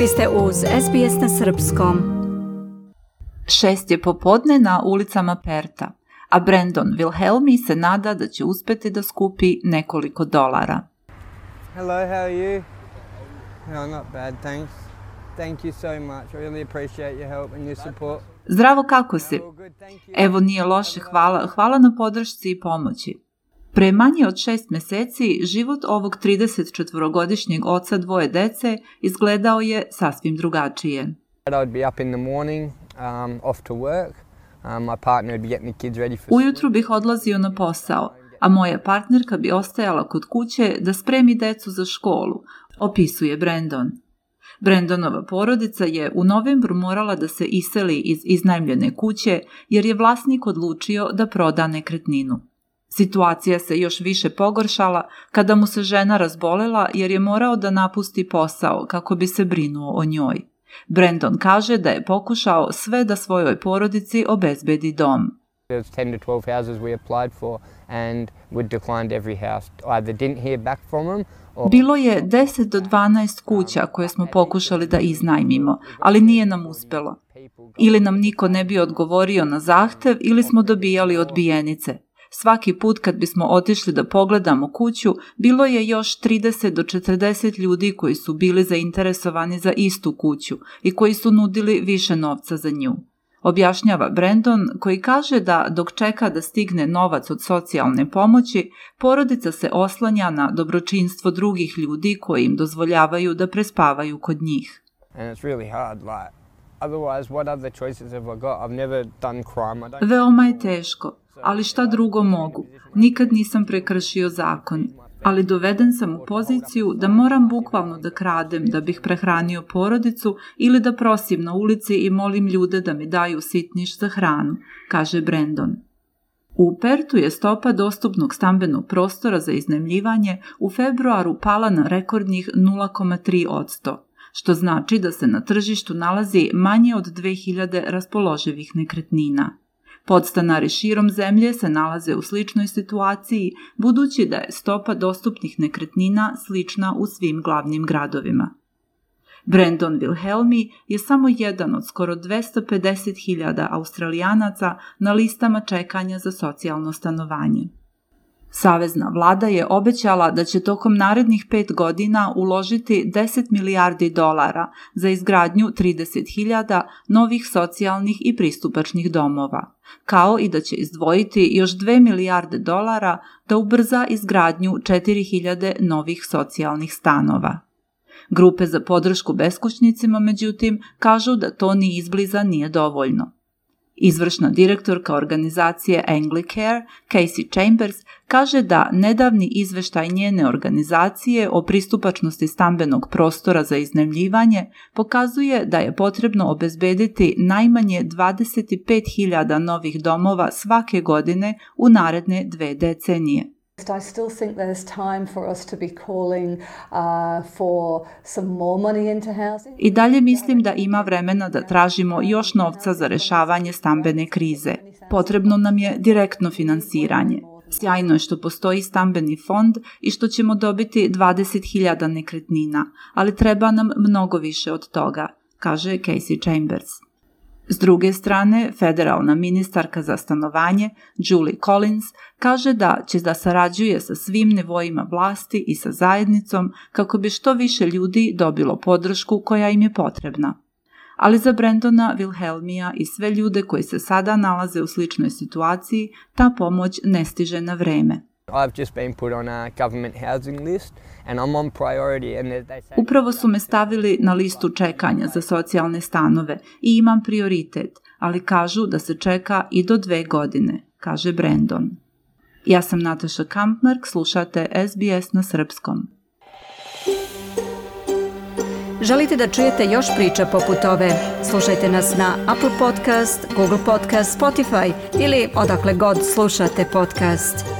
Vi ste uz SBS na srpskom. 6 je popodne na ulicama Perta, a Brandon Wilhelmi se nada da će uspeti da skupi nekoliko dolara. Hello, how are you? No, not bad, thanks. Thank you so much. I really appreciate your help and your support. Zdravo, kako si? Evo, nije loše, hvala na podršci i pomoći. Pre manje od 6 meseci život ovog 34-godišnjeg oca dvoje dece izgledao je sasvim drugačije. Ujutru bih odlazio na posao, a moja partnerka bi ostajala kod kuće da spremi decu za školu, opisuje Brandon. Brandonova porodica je u novembru morala da se iseli iz iznajmljene kuće jer je vlasnik odlučio da proda nekretninu. Situacija se još više pogoršala kada mu se žena razbolela jer je morao da napusti posao kako bi se brinuo o njoj. Brandon kaže da je pokušao sve da svojoj porodici obezbedi dom. Bilo je 10 do 12 kuća koje smo pokušali da iznajmimo, ali nije nam uspelo. Ili nam niko ne bi odgovorio na zahtev ili smo dobijali odbijenice. Svaki put kad bismo otišli da pogledamo kuću, bilo je još 30 do 40 ljudi koji su bili zainteresovani za istu kuću i koji su nudili više novca za nju. Objašnjava Brandon, koji kaže da dok čeka da stigne novac od socijalne pomoći, porodica se oslanja na dobročinstvo drugih ljudi koji im dozvoljavaju da prespavaju kod njih. Veoma je teško, ali šta drugo mogu? Nikad nisam prekršio zakon, ali doveden sam u poziciju da moram bukvalno da kradem da bih prehranio porodicu ili da prosim na ulici i molim ljude da mi daju sitniš za hranu, kaže Brandon. U Pertu je stopa dostupnog stambenog prostora za iznajmljivanje u februaru pala na rekordnih 0,3%, što znači da se na tržištu nalazi manje od 2000 raspoloživih nekretnina. Podstanari širom zemlje se nalaze u sličnoj situaciji, budući da je stopa dostupnih nekretnina slična u svim glavnim gradovima. Brandon Wilhelmi je samo jedan od skoro 250.000 Australijanaca na listama čekanja za socijalno stanovanje. Savezna vlada je obećala da će tokom narednih 5 godina uložiti 10 milijardi dolara za izgradnju 30.000 novih socijalnih i pristupačnih domova, kao i da će izdvojiti još 2 milijarde dolara da ubrza izgradnju 4.000 novih socijalnih stanova. Grupe za podršku beskućnicima, međutim, kažu da to ni izbliza nije dovoljno. Izvršna direktorka organizacije Anglicare, Casey Chambers, kaže da nedavni izveštaj njene organizacije o pristupačnosti stambenog prostora za iznajmljivanje pokazuje da je potrebno obezbediti najmanje 25.000 novih domova svake godine u naredne 2 decenije. I still think there's time for us to be calling for some more money into housing. I dalje mislim da ima vremena da tražimo još novca za rešavanje stambene krize. Potrebno nam je direktno finansiranje. Sjajno je što postoji stambeni fond i što ćemo dobiti 20.000 nekretnina, ali treba nam mnogo više od toga, kaže Casey Chambers. S druge strane, federalna ministarka za stanovanje, Julie Collins, kaže da će da sarađuje sa svim nivoima vlasti i sa zajednicom kako bi što više ljudi dobilo podršku koja im je potrebna. Ali za Brandona Wilhelmija i sve ljude koji se sada nalaze u sličnoj situaciji, ta pomoć ne stiže na vreme. Upravo su me stavili na listu čekanja za socijalne stanove i imam prioritet, ali kažu da se čeka i do 2 godine, kaže Brandon. Ja sam Nataša Kampmark, slušate SBS na srpskom. Želite da čujete još priča poput ove? Slušajte nas na Apple Podcast, Google Podcast, Spotify ili odakle god slušate podcast.